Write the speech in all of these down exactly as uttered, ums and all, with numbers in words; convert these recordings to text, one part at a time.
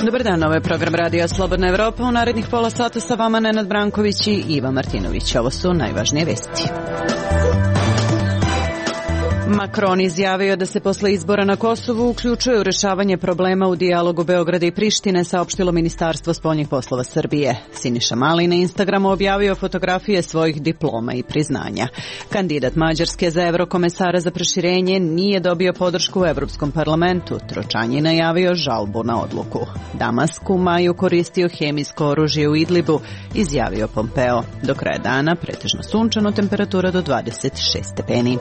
Dobar dan, ovo je program Radija Slobodna Evropa. U narednih pola sata sa vama Nenad Branković i Iva Martinović. Ovo su najvažnije vesti. Macron izjavio da se posle izbora na Kosovu uključuje u rešavanje problema u dijalogu Beograda i Prištine, saopštilo Ministarstvo spoljnih poslova Srbije. Siniša Mali na Instagramu objavio fotografije svojih diploma i priznanja. Kandidat Mađarske za evrokomesara za proširenje nije dobio podršku u Evropskom parlamentu. Tročan je najavio žalbu na odluku. Damask u maju koristio hemijsko oružje u Idlibu, izjavio Pompeo. Do kraja dana pretežno sunčano, temperatura do dvadeset šest stepeni.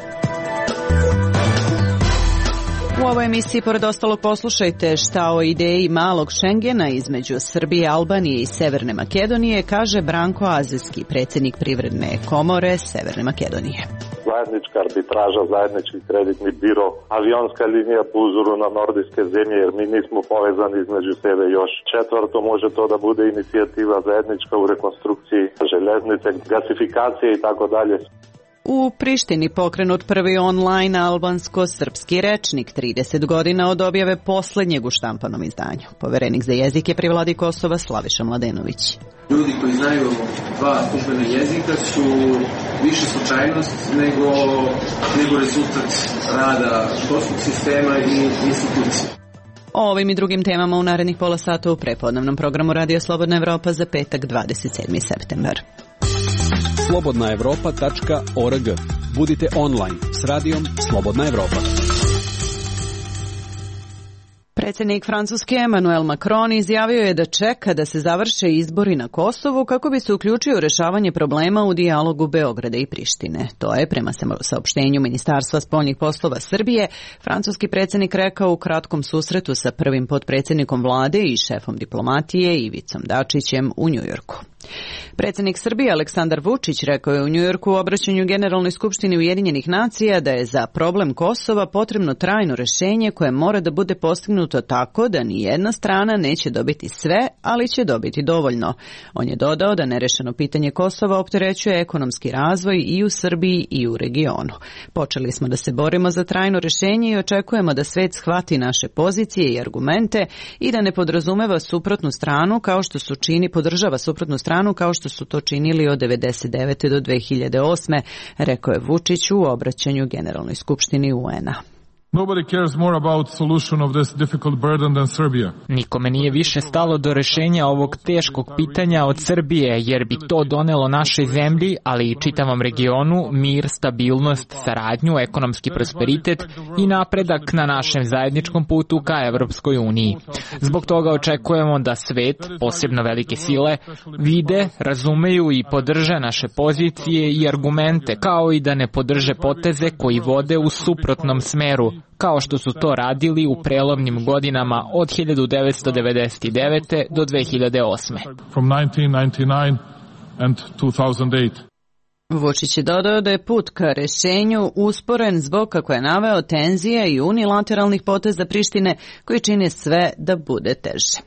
U ovoj emisiji, pored ostalog, poslušajte šta o ideji malog Šengena između Srbije, Albanije i Severne Makedonije kaže Branko Azijski, predsjednik Privredne komore Severne Makedonije. Zajednička arbitraža, zajednički kreditni biro, avionska linija po uzoru na nordijske zemlje, jer mi nismo povezani između sebe još. Četvrto, može to da bude inicijativa zajednička u rekonstrukciji železnice, gasifikacije i tako dalje. U Prištini pokrenut prvi online albansko-srpski rečnik, trideset godina od objave posljednjeg u štampanom izdanju. Poverenik za jezik je pri vladi Kosova Slaviša Mladenović. Ljudi koji znaju dva službena jezika su više slučajnost nego, nego rezultat rada školskog sistema i institucije. O ovim i drugim temama u narednih pola sata u prepodnevnom programu Radio Slobodna Evropa za petak dvadeset sedmi septembar. slobodna evropa tačka org. Budite online s radijom Slobodna Evropa. Predsjednik Francuske Emmanuel Macron izjavio je da čeka da se završe izbori na Kosovu kako bi se uključio u rešavanje problema u dijalogu Beograda i Prištine. To je, prema saopštenju Ministarstva spoljnih poslova Srbije, francuski predsjednik rekao u kratkom susretu sa prvim potpredsjednikom vlade i šefom diplomatije Ivicom Dačićem u Njujorku. Predsjednik Srbije Aleksandar Vučić rekao je u Njujorku u obraćanju Generalnoj skupštini Ujedinjenih nacija da je za problem Kosova potrebno trajno rješenje koje mora da bude postignuto tako da ni jedna strana neće dobiti sve, ali će dobiti dovoljno. On je dodao da nerešeno pitanje Kosova opterećuje ekonomski razvoj i u Srbiji i u regionu. Počeli smo da se borimo za trajno rješenje i očekujemo da svet shvati naše pozicije i argumente i da ne podrazumeva suprotnu stranu kao što su čini podržava suprotnu stranu kao što su to činili od devedeset devete do dve hiljade osme, rekao je Vučić u obraćanju Generalnoj skupštini U N-a. Nobody cares more about solution of this difficult burden than Serbia. Nikome nije više stalo do rešenja ovog teškog pitanja od Srbije, jer bi to donelo našoj zemlji, ali i čitavom regionu, mir, stabilnost, saradnju, ekonomski prosperitet i napredak na našem zajedničkom putu ka Evropskoj uniji. Zbog toga očekujemo da svet, posebno velike sile, vide, razumeju i podrže naše pozicije i argumente, kao i da ne podrže poteze koji vode u suprotnom smeru, kao što su to radili u prelomnim godinama od hiljadu devetsto devedeset devete do dve hiljade osme. From nineteen ninety-nine and two thousand eight. Vučić je dodao da je put ka rešenju usporen zbog, kako je naveo, tenzija i unilateralnih poteza Prištine koji čine sve da bude teže.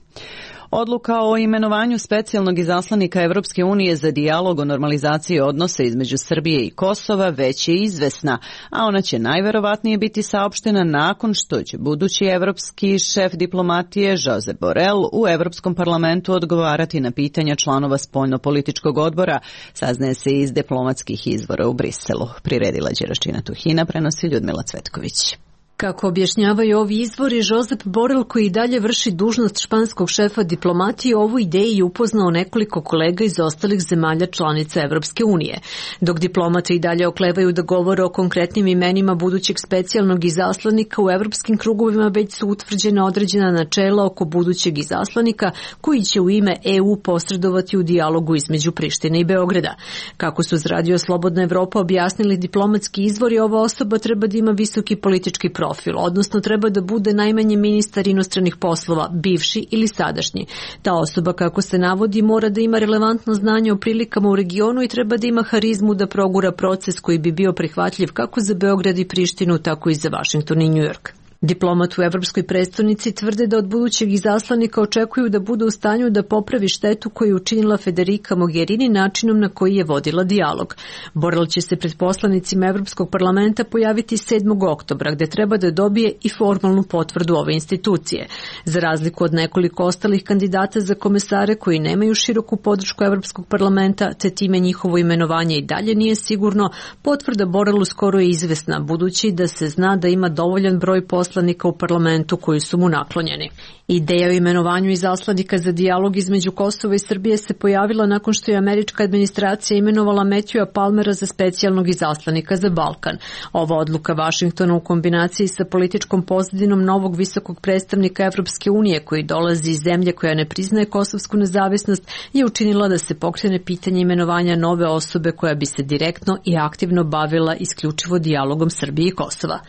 Odluka o imenovanju specijalnog izaslanika Evropske unije za dijalog o normalizaciji odnosa između Srbije i Kosova već je izvesna, a ona će najverovatnije biti saopštena nakon što će budući evropski šef diplomatije Josep Borrell u Evropskom parlamentu odgovarati na pitanja članova spoljnopolitičkog odbora, saznaje se iz diplomatskih izvora u Briselu. Priredila Đeračina Tuhina, prenosi Ljudmila Cvetković. Kako objašnjavaju ovi izvori, Josep Borrell, koji dalje vrši dužnost španskog šefa diplomatije, ovu ideju je upoznao nekoliko kolega iz ostalih zemalja članica Evropske unije. Dok diplomate i dalje oklevaju da govore o konkretnim imenima budućeg specijalnog izaslanika, u evropskim krugovima već su utvrđena određena načela oko budućeg izaslanika koji će u ime E U posredovati u dijalogu između Prištine i Beograda. Kako su uz Radio Slobodna Evropa objasnili diplomatski izvori, ova osoba treba da ima visoki politički profil. Odnosno treba da bude najmanje ministar inostranih poslova, bivši ili sadašnji. Ta osoba, kako se navodi, mora da ima relevantno znanje o prilikama u regionu i treba da ima harizmu da progura proces koji bi bio prihvatljiv kako za Beograd i Prištinu, tako i za Vašington i Njujork. Diplomat u evropskoj prestonici tvrde da od budućeg izaslanika očekuju da bude u stanju da popravi štetu koju je učinila Federica Mogherini načinom na koji je vodila dijalog. Borrell će se pred poslanicima Evropskog parlamenta pojaviti sedmog oktobra, gde treba da dobije i formalnu potvrdu ove institucije. Za razliku od nekoliko ostalih kandidata za komesare koji nemaju široku podršku Evropskog parlamenta, te time njihovo imenovanje i dalje nije sigurno, potvrda Borrellu skoro je izvesna, budući da se zna da ima dovoljan broj poslanika u parlamentu koji su mu naklonjeni. Ideja o imenovanju izaslanika za dijalog između Kosova i Srbije se pojavila nakon što je američka administracija imenovala Matthewa Palmera za specijalnog izaslanika za Balkan. Ova odluka Vašingtona u kombinaciji sa političkom pozadinom novog visokog predstavnika Evropske unije koji dolazi iz zemlje koja ne priznaje kosovsku nezavisnost je učinila da se pokrene pitanje imenovanja nove osobe koja bi se direktno i aktivno bavila isključivo dijalogom Srbije i Kosova.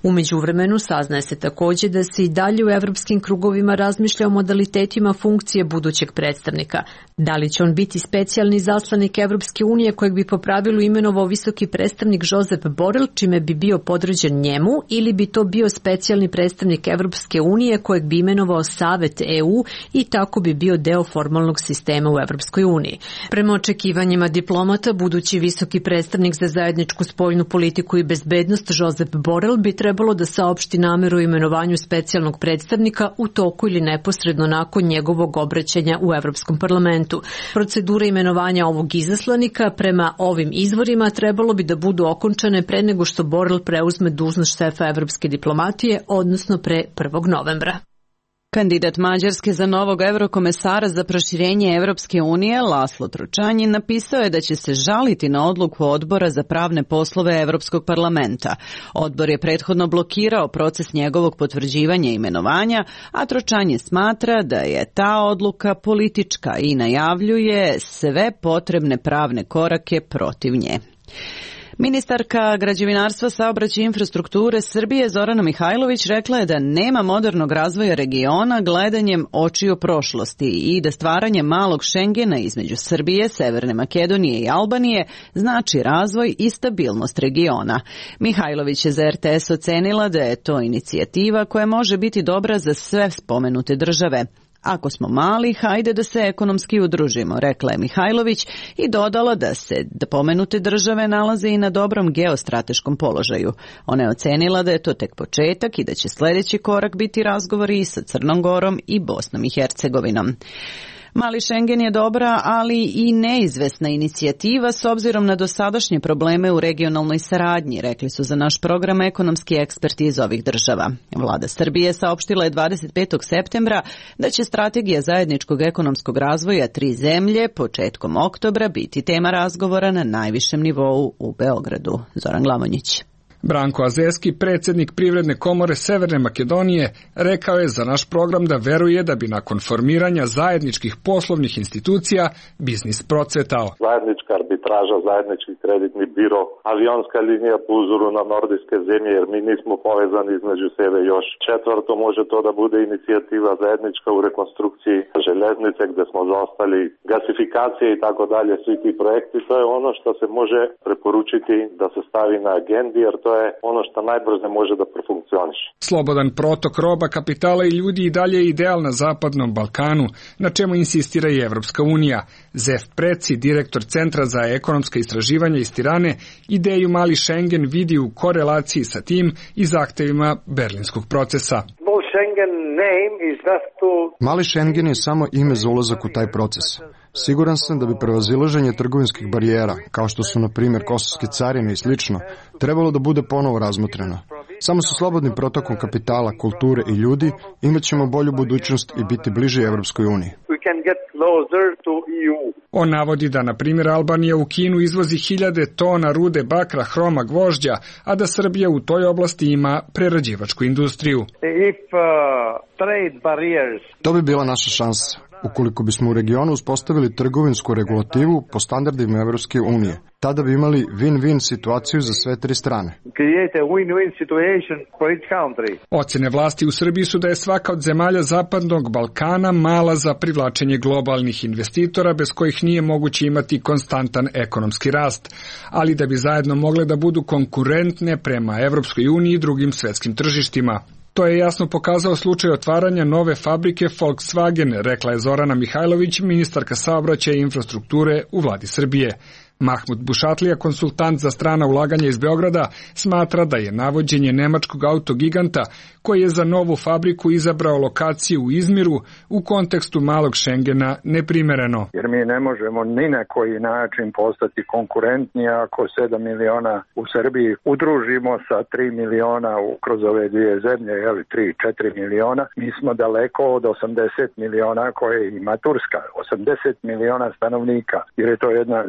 U međuvremenu saznaje se takođe da se i dalje u evropskim krugovima razmišlja o modalitetima funkcije budućeg predstavnika. Da li će on biti specijalni izaslanik Evropske unije kojeg bi po pravilu imenovao visoki predstavnik Josep Borrell, čime bi bio podređen njemu, ili bi to bio specijalni predstavnik Evropske unije kojeg bi imenovao Savet E U i tako bi bio deo formalnog sistema u Evropskoj uniji. Prema očekivanjima diplomata, budući visoki predstavnik za zajedničku spoljnu politiku i bezbednost Josep Borrell bi trebao trebalo da saopšti nameru o imenovanju specijalnog predstavnika u toku ili neposredno nakon njegovog obraćanja u Evropskom parlamentu. Procedura imenovanja ovog izaslanika prema ovim izvorima trebalo bi da budu okončane pre nego što Borrell preuzme dužnost šefa evropske diplomatije, odnosno pre prvog novembra. Kandidat Mađarske za novog eurokomesara za proširenje Evropske unije, Laslo Tručanjin, napisao je da će se žaliti na odluku Odbora za pravne poslove Evropskog parlamenta. Odbor je prethodno blokirao proces njegovog potvrđivanja i imenovanja, a Tručanjin smatra da je ta odluka politička i najavljuje sve potrebne pravne korake protiv nje. Ministarka građevinarstva, saobraćaja i infrastrukture Srbije Zorana Mihajlović rekla je da nema modernog razvoja regiona gledanjem očiju prošlosti i da stvaranje malog Šengena između Srbije, Severne Makedonije i Albanije znači razvoj i stabilnost regiona. Mihajlović je za R T S ocenila da je to inicijativa koja može biti dobra za sve spomenute države. Ako smo mali, hajde da se ekonomski udružimo, rekla je Mihajlović i dodala da se da pomenute države nalaze i na dobrom geostrateškom položaju. Ona je ocenila da je to tek početak i da će sljedeći korak biti razgovori i sa Crnom Gorom i Bosnom i Hercegovinom. Mali Šengen je dobra, ali i neizvesna inicijativa s obzirom na dosadašnje probleme u regionalnoj saradnji, rekli su za naš program ekonomski eksperti iz ovih država. Vlada Srbije saopštila je dvadeset petog septembra da će strategija zajedničkog ekonomskog razvoja tri zemlje početkom oktobra biti tema razgovora na najvišem nivou u Beogradu. Zoran Glamonjić. Branko Azeski, predsjednik Privredne komore Severne Makedonije, rekao je za naš program da veruje da bi nakon formiranja zajedničkih poslovnih institucija biznis procvetao. Zajednička arbitraža, zajednički kreditni biro, avionska linija po uzoru na nordijske zemlje, jer mi nismo povezani između sebe još. Četvrto, može to da bude inicijativa zajednička u rekonstrukciji železnice gdje smo zaostali, gasifikacije i tako dalje, svi ti projekti. To je ono što se može preporučiti da se stavi na agendi, jer to je ono što najbrže može da profunkcioniše. Slobodan protok roba, kapitala i ljudi i dalje je ideal na Zapadnom Balkanu, na čemu insistira i Evropska unija. Zef Preci, direktor Centra za ekonomska istraživanja iz Tirane, ideju Mali Schengen vidi u korelaciji sa tim i zahtevima berlinskog procesa. Mali Schengen je samo ime za ulazak u taj proces. Siguran sam da bi prevazilaženje trgovinskih barijera, kao što su na primjer kosovske carine i slično, trebalo da bude ponovo razmotreno. Samo sa slobodnim protokom kapitala, kulture i ljudi imat ćemo bolju budućnost i biti bliži Evropskoj uniji. On navodi da, na primjer, Albanija u Kinu izvozi hiljade tona rude bakra, hroma, gvožđa, a da Srbija u toj oblasti ima prerađivačku industriju. To bi bila naša šansa, ukoliko bismo u regionu uspostavili trgovinsku regulativu po standardima Evropske unije. Tada bi imali win-win situaciju za sve tri strane. Ocjene vlasti u Srbiji su da je svaka od zemalja Zapadnog Balkana mala za privlačenje globalnih investitora bez kojih nije moguće imati konstantan ekonomski rast, ali da bi zajedno mogle da budu konkurentne prema Evropskoj uniji i drugim svetskim tržištima. To je jasno pokazao slučaj otvaranja nove fabrike Volkswagen, rekla je Zorana Mihajlović, ministarka saobraćaja i infrastrukture u vladi Srbije. Mahmud Bušatlija, konsultant za strana ulaganja iz Beograda, smatra da je navođenje nemačkog autogiganta, koji je za novu fabriku izabrao lokaciju u Izmiru, u kontekstu malog Šengena neprimereno. Jer mi ne možemo ni na koji način postati konkurentni ako sedam miliona u Srbiji udružimo sa tri miliona kroz ove dvije zemlje, jeli tri četiri miliona. Mi smo daleko od osamdeset miliona koje ima Turska, osamdeset miliona stanovnika, jer je to jedna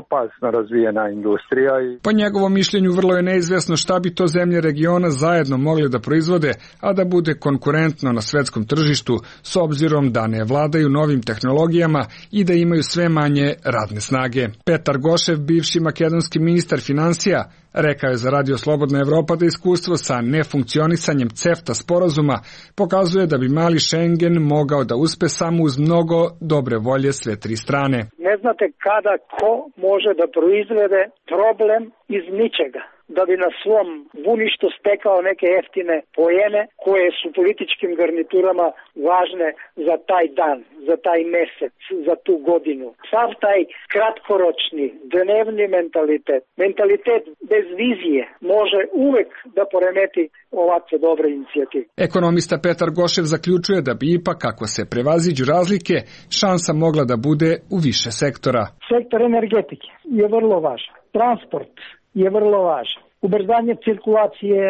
opasno razvijena industrija. Po njegovom mišljenju vrlo je neizvesno šta bi to zemlje regiona zajedno mogli da proizvode, a da bude konkurentno na svetskom tržištu, s obzirom da ne vladaju novim tehnologijama i da imaju sve manje radne snage. Petar Gošev, bivši makedonski ministar finansija, rekao je za Radio Slobodna Evropa da iskustvo sa nefunkcionisanjem CEFTA sporazuma pokazuje da bi mali Schengen mogao da uspe samo uz mnogo dobre volje sve tri strane. Ne znate kada ko može da proizvede problem iz ničega, da bi na svom buništu stekao neke jeftine poene koje su političkim garniturama važne za taj dan, za taj mesec, za tu godinu. Sav taj kratkoročni, dnevni mentalitet, mentalitet bez vizije može uvek da poremeti ovakve dobre inicijative. Ekonomista Petar Gošev zaključuje da bi ipak, ako se prevaziđu razlike, šansa mogla da bude u više sektora. Sektor energetike je vrlo važan. Transport je vrlo važan. Ubrzanje cirkulacije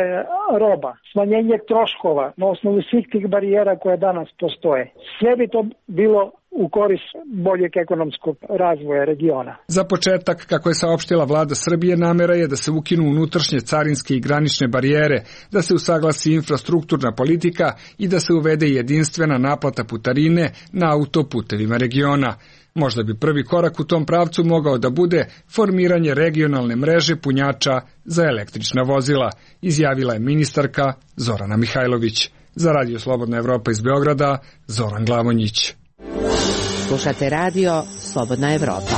roba, smanjenje troškova na osnovu svih tih barijera koje danas postoje. Sve bi to bilo u korist boljeg ekonomskog razvoja regiona. Za početak, kako je saopštila vlada Srbije, namera je da se ukinu unutrašnje carinske i granične barijere, da se usaglasi infrastrukturna politika i da se uvede jedinstvena naplata putarine na autoputevima regiona. Možda bi prvi korak u tom pravcu mogao da bude formiranje regionalne mreže punjača za električna vozila, izjavila je ministarka Zorana Mihajlović. Za Radio Slobodna Evropa iz Beograda, Zoran Glavonjić. Slušate Radio Slobodna Evropa.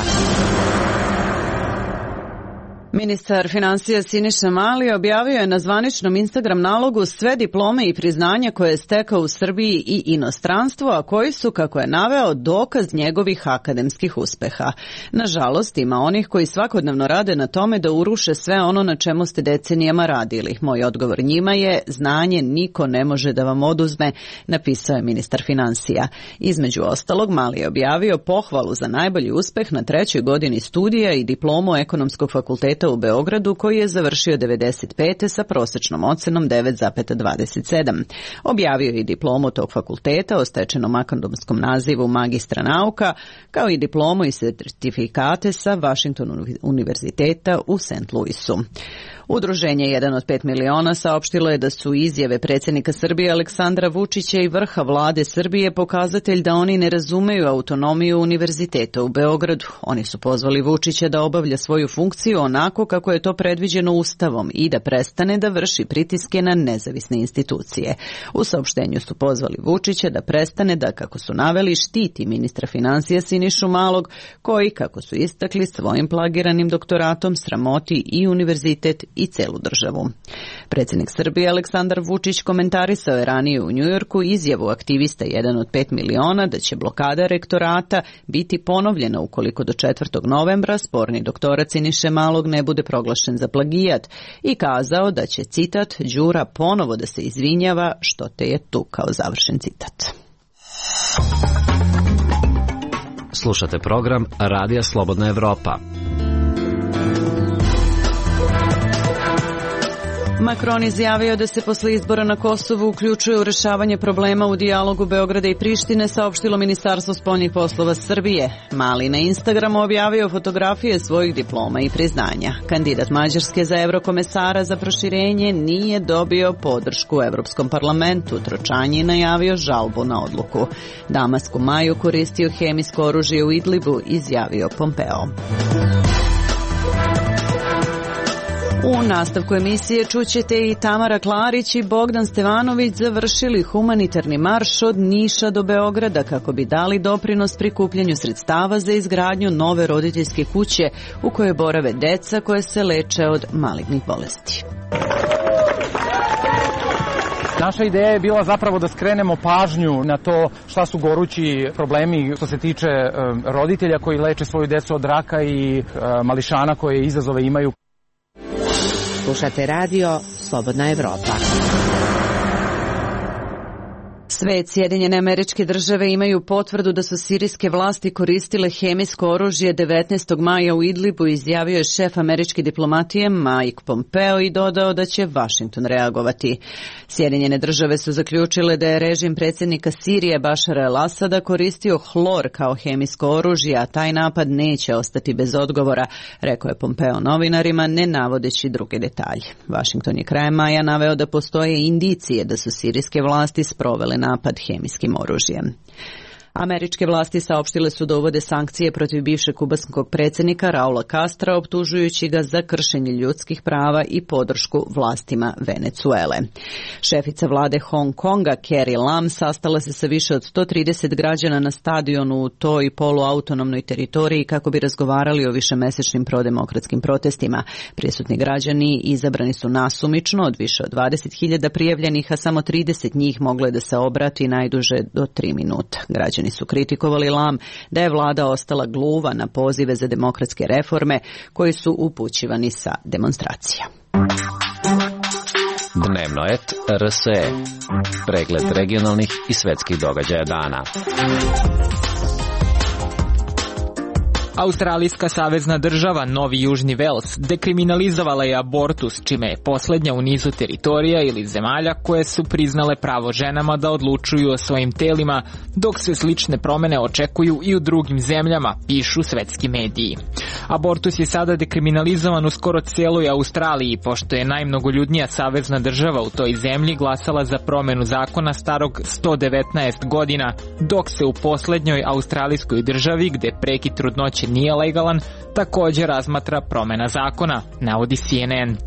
Ministar finansija Siniša Mali objavio je na zvaničnom Instagram nalogu sve diplome i priznanja koje je stekao u Srbiji i inostranstvu, a koji su, kako je naveo, dokaz njegovih akademskih uspeha. Nažalost, ima onih koji svakodnevno rade na tome da uruše sve ono na čemu ste decenijama radili. Moj odgovor njima je: znanje niko ne može da vam oduzme, napisao je ministar finansija. Između ostalog, Mali je objavio pohvalu za najbolji uspeh na trećoj godini studija i diplomu Ekonomskog fakulteta u Beogradu, koji je završio devedeset pete sa prosečnom ocenom devet zarez dvadeset sedam. Objavio je i diplomu tog fakulteta o stečenom akademskom nazivu magistra nauka, kao i diplomu i sertifikate sa Washington univerziteta u Saint Louisu. Udruženje jedan od pet miliona saopštilo je da su izjave predsjednika Srbije Aleksandra Vučića i vrha vlade Srbije pokazatelj da oni ne razumeju autonomiju univerziteta u Beogradu. Oni su pozvali Vučića da obavlja svoju funkciju onako kako je to predviđeno Ustavom i da prestane da vrši pritiske na nezavisne institucije. U saopštenju su pozvali Vučića da prestane da, kako su naveli, štiti ministra finansija Sinišu Malog, koji, kako su istakli, svojim plagiranim doktoratom sramoti i univerzitet i celu državu. Predsjednik Srbije Aleksandar Vučić komentarisao je ranije u Njujorku izjavu aktivista jedan od pet miliona da će blokada rektorata biti ponovljena ukoliko do četvrtog novembra sporni doktorat Siniše Malog ne bude proglašen za plagijat i kazao da će, citat, Đura ponovo da se izvinjava što te je tukao, završen citat. Slušate program Radija Slobodna Evropa. Macron izjavio da se posle izbora na Kosovu uključuje u rešavanje problema u dijalogu Beograda i Prištine, saopštilo Ministarstvo spoljnih poslova Srbije. Mali na Instagramu objavio fotografije svojih diploma i priznanja. Kandidat Mađarske za evrokomesara za proširenje nije dobio podršku u Evropskom parlamentu. Tročan je najavio žalbu na odluku. Damask u maju koristio hemijsko oružje u Idlibu, izjavio Pompeo. U nastavku emisije čućete i Tamara Klarić i Bogdan Stevanović završili humanitarni marš od Niša do Beograda kako bi dali doprinos prikupljanju sredstava za izgradnju nove roditeljske kuće u kojoj borave deca koje se leče od malignih bolesti. Naša ideja je bila zapravo da skrenemo pažnju na to šta su gorući problemi što se tiče roditelja koji leče svoju decu od raka i mališana koje izazove imaju. Slušate radio Slobodna Evropa. Svet, Sjedinjene Američke Države imaju potvrdu da su sirijske vlasti koristile hemijsko oružje devetnaestog maja u Idlibu, izjavio je šef američke diplomatije Mike Pompeo i dodao da će Vašington reagovati. Sjedinjene Države su zaključile da je režim predsjednika Sirije Bašara el-Asada koristio hlor kao hemijsko oružje, a taj napad neće ostati bez odgovora, rekao je Pompeo novinarima, ne navodeći druge detalje. Vašington je krajem maja naveo da postoje indicije da su sirijske vlasti sprovele napad hemijskim oružjem. Američke vlasti saopštile su da uvode sankcije protiv bivšeg kubanskog predsjednika Raula Castra, optužujući ga za kršenje ljudskih prava i podršku vlastima Venecuele. Šefica vlade Hong Konga Carrie Lam sastala se sa više od sto trideset građana na stadionu u toj poluautonomnoj teritoriji kako bi razgovarali o višemesečnim prodemokratskim protestima. Prisutni građani izabrani su nasumično od više od dvadeset hiljada prijavljenih, a samo trideset njih moglo je da se obrati najduže do tri minuta. Građani su kritikovali Lam da je vlada ostala gluva na pozive za demokratske reforme koji su upućivani sa demonstracija. Dnevno et R S E. Pregled regionalnih i svetskih događaja dana. Australijska savezna država Novi Južni Vels dekriminalizovala je abortus, čime je posljednja u nizu teritorija ili zemalja koje su priznale pravo ženama da odlučuju o svojim telima, dok se slične promjene očekuju i u drugim zemljama, pišu svetski mediji. Abortus je sada dekriminalizovan u skoro cijeloj Australiji, pošto je najmnogoljudnija savezna država u toj zemlji glasala za promjenu zakona starog sto devetnaest godina, dok se u posljednjoj australijskoj državi, gdje prekid trudnoće nije legalan, također razmatra promjena zakona, navodi C N N.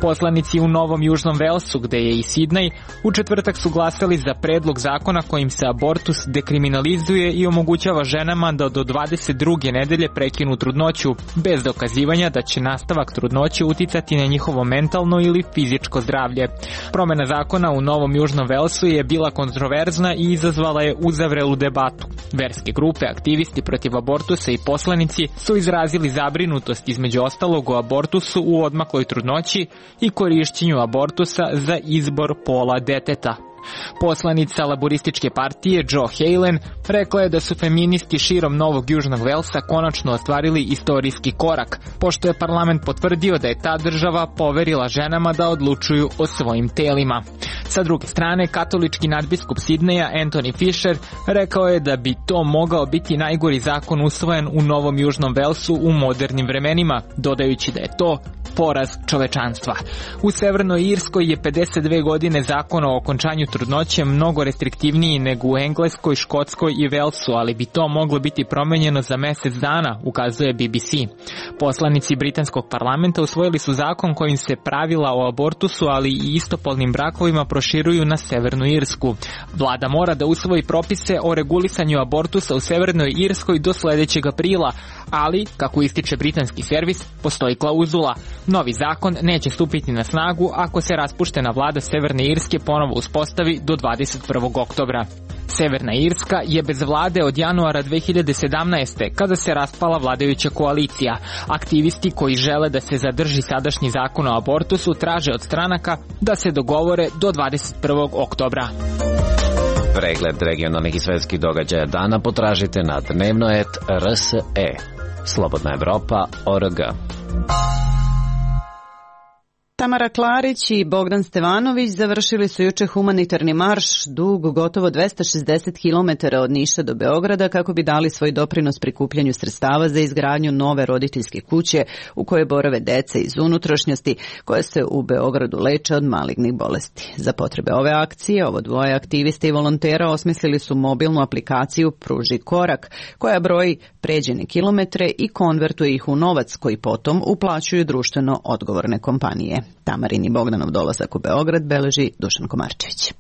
Poslanici u Novom Južnom Velsu, gdje je i Sidney, u četvrtak su glasali za predlog zakona kojim se abortus dekriminalizuje i omogućava ženama da do dvadeset druge nedelje prekinu trudnoću, bez dokazivanja da će nastavak trudnoće uticati na njihovo mentalno ili fizičko zdravlje. Promjena zakona u Novom Južnom Velsu je bila kontroverzna i izazvala je uzavrelu debatu. Verske grupe, aktivisti protiv abortusa i poslanici su izrazili zabrinutost između ostalog o abortusu u odmakloj trudnoći i korišćenju abortusa za izbor pola deteta. Poslanica laborističke partije Joe Halen rekla je da su feministi širom Novog Južnog Velsa konačno ostvarili istorijski korak, pošto je parlament potvrdio da je ta država poverila ženama da odlučuju o svojim telima. Sa druge strane, katolički nadbiskup Sidneja Anthony Fisher rekao je da bi to mogao biti najgori zakon usvojen u Novom Južnom Velsu u modernim vremenima, dodajući da je to poraz čovečanstva. U Severnoj Irskoj je pedeset dve godine zakon o okončanju trudnoće mnogo restriktivniji nego u Engleskoj, Škotskoj i Velsu, ali bi to moglo biti promenjeno za mjesec dana, ukazuje B B C. Poslanici britanskog parlamenta usvojili su zakon kojim se pravila o abortusu, ali i istopolnim brakovima proširuju na Severnu Irsku. Vlada mora da usvoji propise o regulisanju abortusa u Severnoj Irskoj do sljedećeg aprila, ali, kako ističe britanski servis, postoji klauzula. Novi zakon neće stupiti na snagu ako se raspuštena vlada Severne Irske ponovo uspostavi do dvadeset prvog oktobra. Severna Irska je bez vlade od januara dve hiljade sedamnaeste. kada se raspala vladajuća koalicija. Aktivisti koji žele da se zadrži sadašnji zakon o abortusu traže od stranaka da se dogovore do dvadeset prvog oktobra. Pregled regionalnih i svetskih događaja dana potražite na dnevno et R S E. Slobodna Evropa O R G. Tamara Klarić i Bogdan Stevanović završili su juče humanitarni marš dug gotovo dvesta šezdeset kilometara od Niša do Beograda kako bi dali svoj doprinos prikupljanju sredstava za izgradnju nove roditeljske kuće u kojoj borave deca iz unutrašnjosti koje se u Beogradu leče od malignih bolesti. Za potrebe ove akcije, ovo dvoje aktivista i volontera osmislili su mobilnu aplikaciju Pruži korak koja broji pređene kilometre i konvertuje ih u novac koji potom uplaćuju društveno odgovorne kompanije. Tamarin i Bogdanov dolazak u Beograd beleži Dušan Komarčević.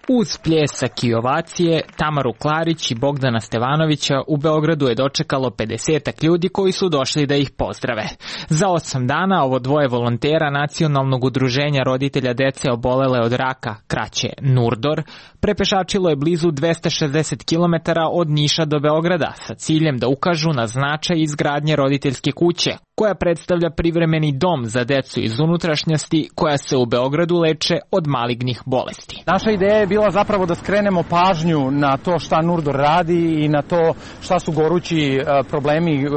Uz pljesak i ovacije, Tamaru Klarić i Bogdana Stevanovića u Beogradu je dočekalo pedesetak ljudi koji su došli da ih pozdrave. Za osam dana ovo dvoje volontera Nacionalnog udruženja roditelja dece obolele od raka, kraće Nurdor, prepešačilo je blizu dvesta šezdeset kilometara od Niša do Beograda sa ciljem da ukažu na značaj izgradnje roditeljske kuće, koja predstavlja privremeni dom za decu iz unutrašnjosti koja se u Beogradu leče od malignih bolesti. Naša ideja je bila zapravo da skrenemo pažnju na to šta Nurdor radi i na to šta su gorući problemi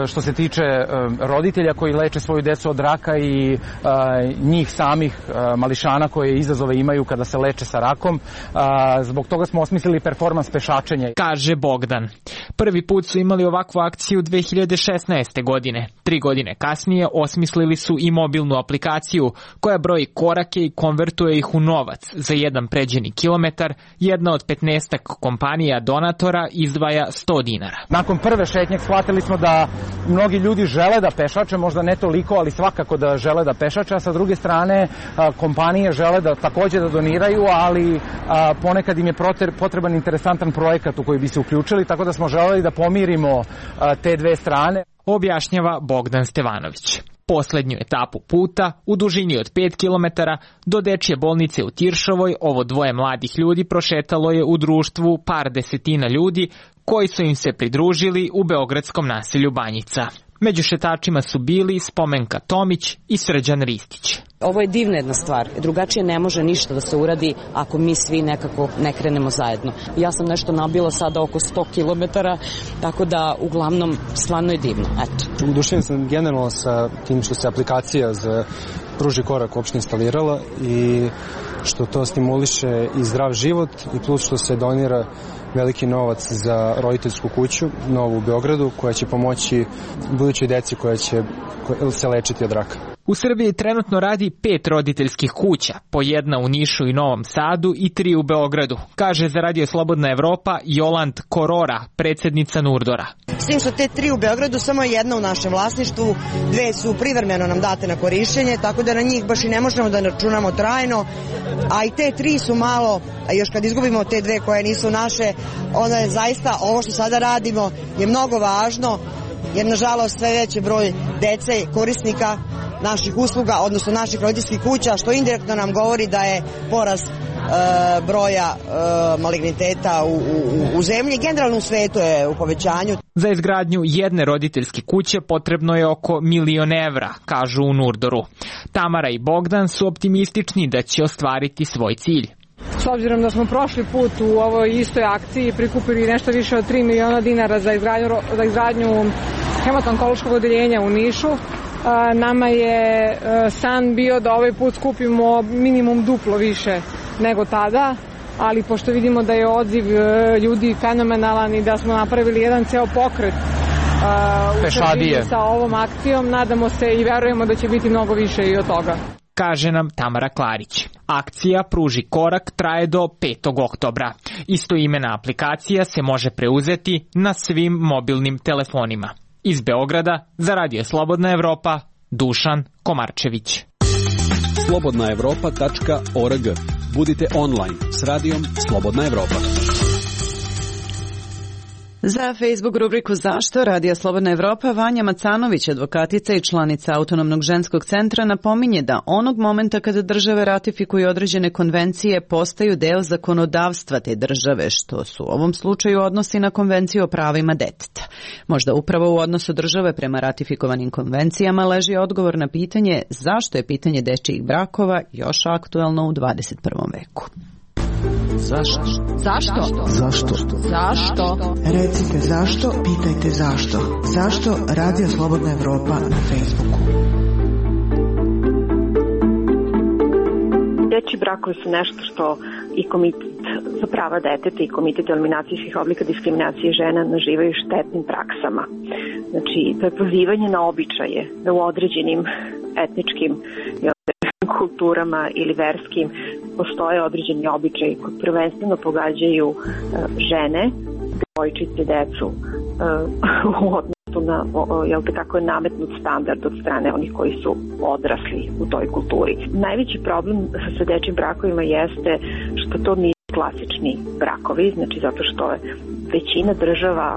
što se tiče roditelja koji leče svoju decu od raka i njih samih mališana koje izazove imaju kada se leče sa rakom. Zbog toga smo osmislili performans pešačenja. Kaže Bogdan. Prvi put su imali ovakvu akciju dve hiljade šesnaeste. godine. Tri godine kasnije osmislili su i mobilnu aplikaciju koja broji korake i konvertuje ih u novac. Za jedan pređeni kilometar jedna od petnaestak kompanija donatora izdvaja sto dinara. Nakon prve šetnje shvatili smo da mnogi ljudi žele da pešače, možda ne toliko, ali svakako da žele da pešače, a sa druge strane kompanije žele da takođe da doniraju, ali ponekad im je potreban interesantan projekat u koji bi se uključili, tako da smo želeli da pomirimo te dve strane. Objašnjava Bogdan Stevanović. Poslednju etapu puta, u dužini od pet kilometara, do dečje bolnice u Tiršovoj, ovo dvoje mladih ljudi prošetalo je u društvu par desetina ljudi koji su im se pridružili u beogradskom naselju Banjica. Među šetačima su bili Spomenka Tomić i Srđan Ristić. Ovo je divna jedna stvar. Drugačije ne može ništa da se uradi ako mi svi nekako ne krenemo zajedno. Ja sam nešto nabila sada oko sto kilometara, tako da uglavnom stvarno je divno. Eto. Udušen sam generalno sa tim što se aplikacija za Pruži korak uopšte instalirala i što to stimuliše i zdrav život i plus što se donira veliki novac za roditeljsku kuću novu u Beogradu koja će pomoći budućoj deci koja će se lečiti od raka. U Srbiji trenutno radi pet roditeljskih kuća, po jedna u Nišu i Novom Sadu i tri u Beogradu, kaže za Radio Slobodna Evropa Jolant Korora, predsjednica Nurdora. S tim što te tri u Beogradu, samo je jedna u našem vlasništvu, dve su privremeno nam date na korišćenje, tako da na njih baš i ne možemo da računamo trajno, a i te tri su malo, a još kad izgubimo te dve koje nisu naše, onda je zaista ovo što sada radimo je mnogo važno, jer nažalost sve veći broj dece korisnika naših usluga, odnosno naših roditeljskih kuća, što indirektno nam govori da je porast e, broja e, maligniteta u, u, u zemlji. Generalno u svetu je u povećanju. Za izgradnju jedne roditeljske kuće potrebno je oko milion evra, kažu u Nurdoru. Tamara i Bogdan su optimistični da će ostvariti svoj cilj. S obzirom da smo prošli put u ovoj istoj akciji prikupili nešto više od tri miliona dinara za izgradnju, za izgradnju hematonkološkog odeljenja u Nišu, nama je san bio da ovaj put skupimo minimum duplo više nego tada, ali pošto vidimo da je odziv ljudi fenomenalan i da smo napravili jedan ceo pokret u Srbiji sa ovom akcijom, nadamo se i verujemo da će biti mnogo više i od toga. Kaže nam Tamara Klarić. Akcija Pruži korak traje do petog oktobra. Istoimena aplikacija se može preuzeti na svim mobilnim telefonima. Iz Beograda za Radio Slobodna Evropa, Dušan Komarčević. slobodna evropa tačka org. Budite online s radijom Slobodna Evropa. Za Facebook rubriku Zašto? Radio Slobodna Evropa Vanja Macanović, advokatica i članica Autonomnog ženskog centra, napominje da onog momenta kada države ratifikuju određene konvencije postaju deo zakonodavstva te države, što su u ovom slučaju odnosi na Konvenciju o pravima deteta. Možda upravo u odnosu države prema ratifikovanim konvencijama leži odgovor na pitanje zašto je pitanje dečijih brakova još aktuelno u dvadeset prvom veku. Zašto? Zašto? Zašto? Zašto? Recite zašto, pitajte zašto. Zašto? Radio Slobodna Evropa na Facebooku. Dečji brakovi su nešto što i Komitet za prava deteta i Komitet eliminacije svih oblika diskriminacije žena nazivaju štetnim praksama. Znači, to je pozivanje na običaje da u određenim etničkim kulturama ili verskim postoje određeni običaji koji prvenstveno pogađaju uh, žene, devojčice, decu uh, u odnosu na, jel te, kako je nametnut standard od strane onih koji su odrasli u toj kulturi. Najveći problem sa dečjim brakovima jeste što to nisu klasični brakovi, znači zato što je većina država,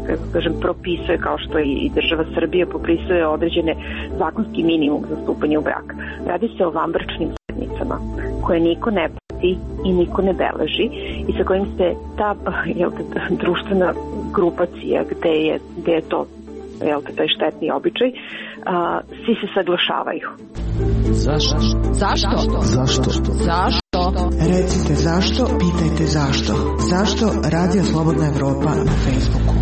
kako kažem, propisuje, kao što i država Srbija propisuje određene zakonski minimum za stupanje u brak. Radi se o vanbračnim zajednicama koje niko ne prati i niko ne beleži i sa kojim se ta, jel te, društvena grupacija gde je, gde je to, jel te, taj štetni običaj, a, svi se saglašavaju. Zašto? Zašto? Zašto? Zašto? Recite zašto, pitajte zašto. Zašto Radio Slobodna Evropa na Facebooku?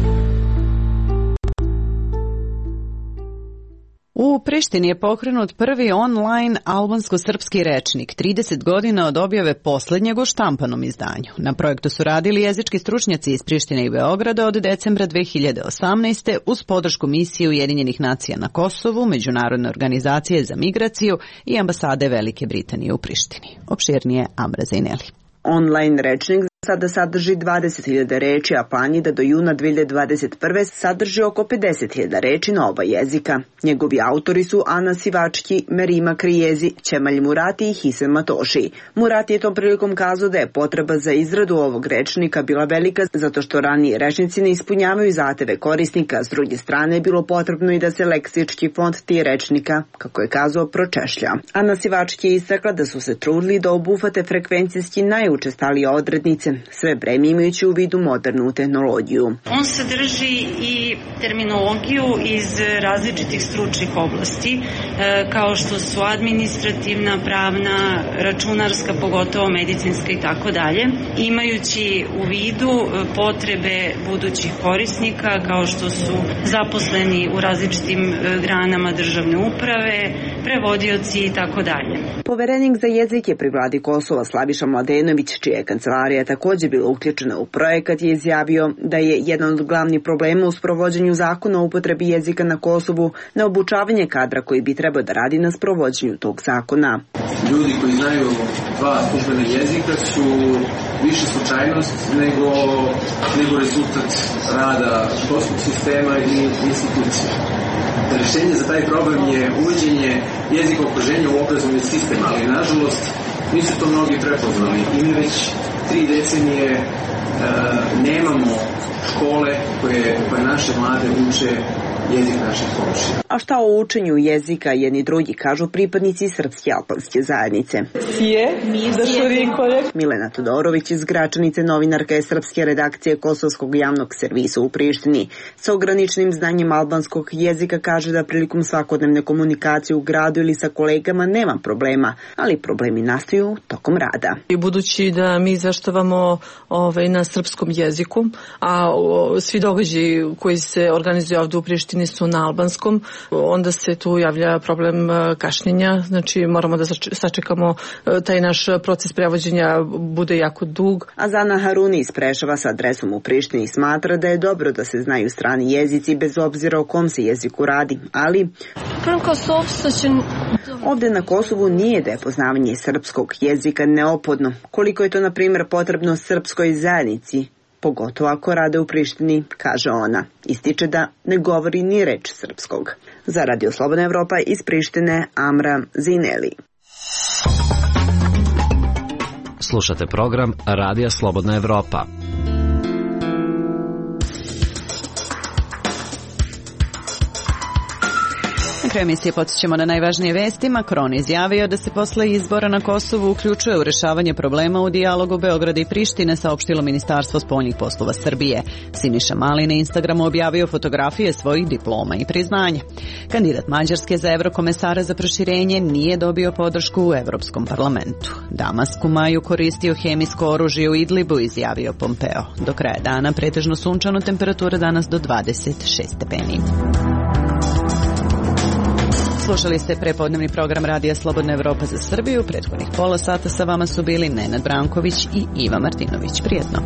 U Prištini je pokrenut prvi online albansko-srpski rečnik, trideset godina od objave poslednjeg u štampanom izdanju. Na projektu su radili jezički stručnjaci iz Prištine i Beograda od decembra dve hiljade osamnaeste uz podršku misije Ujedinjenih nacija na Kosovu, Međunarodne organizacije za migraciju i ambasade Velike Britanije u Prištini. Opširnije Amra Zaineli. Online rečnik sada sadrži dvadeset hiljada reči, a plan je da do juna dve hiljade dvadeset prve sadrži oko pedeset hiljada reči na oba jezika. Njegovi autori su Ana Sivački, Merima Krijezi, Ćemalj Murati i Hisem Matoši. Murati je tom prilikom kazao da je potreba za izradu ovog rečnika bila velika zato što raniji rečnici ne ispunjavaju zahteve korisnika, s druge strane je bilo potrebno i da se leksički fond tih rečnika, kako je kazao, pročešlja. Ana Sivački je istakla da su se trudili da obuhvate frekvencijski najučestalije odrednice, sve vreme imajući u vidu modernu tehnologiju. On sadrži i terminologiju iz različitih stručnih oblasti, kao što su administrativna, pravna, računarska, pogotovo medicinska i tako dalje, imajući u vidu potrebe budućih korisnika, kao što su zaposleni u različitim granama državne uprave, prevodioci i tako dalje. Poverenik za jezik je pri vladi Kosova Slaviša Mladenović, čija je kancelarija također bila uključena u projekat, je izjavio da je jedan od glavnih problema u sprovođenju zakona o upotrebi jezika na Kosovu neobučavanje kadra koji bi trebao da radi na sprovođenju tog zakona. Ljudi koji znaju dva službena jezika su više slučajnost nego, nego rezultat rada školskog sistema i institucija. Rešenje za taj problem je uvođenje jezika okruženja u obrazovni sistem, ali nažalost nisu to mnogi prepoznali i mi već tri decenije e, nemamo škole koje, koje naše mlade uče jezik naših komšija. A šta o učenju jezika jedni drugi kažu pripadnici srpske albanske zajednice? Milena Todorović iz Gračanice, novinarka je srpske redakcije Kosovskog javnog servisa u Prištini. Sa ograničenim znanjem albanskog jezika kaže da prilikom svakodnevne komunikacije u gradu ili sa kolegama nema problema, ali problemi nastaju tokom rada. I budući da mi izveštavamo ovaj, na srpskom jeziku, a o, svi događaji koji se organizuju ovdje u Prištini su na albanskom, onda se tu javlja problem kašnjenja, znači moramo da sačekamo taj naš proces prevođenja bude jako dug. A Zana Haruni iz Preševa sa adresom u Prištini smatra da je dobro da se znaju strani jezici bez obzira o kom se jeziku radi, ali ovdje na Kosovu nije da je poznavanje srpskog jezika neophodno, koliko je to na primjer potrebno srpskoj zajednici, pogotovo ako rade u Prištini, kaže ona. Ističe da ne govori ni reč srpskog. Za Radio Slobodna Evropa iz Prištine, Amra Zineli. Slušate program Radija Slobodna Evropa. Na kraju emisije podsjećamo na najvažnije vesti. Macron izjavio da se posle izbora na Kosovu uključuje u rešavanje problema u dijalogu Beograda i Prištine, saopštilo Ministarstvo spoljnih poslova Srbije. Siniša Mali na Instagramu objavio fotografije svojih diploma i priznanja. Kandidat Mađarske za evrokomesara za proširenje nije dobio podršku u Evropskom parlamentu. Damask u maju koristio hemijsko oružje u Idlibu, izjavio Pompeo. Do kraja dana pretežno sunčano, temperatura danas do dvadeset šest stepeni. Slušali ste prepodnevni program Radija Slobodna Evropa za Srbiju. Prethodnih pola sata sa vama su bili Nenad Branković i Iva Martinović. Prijetno.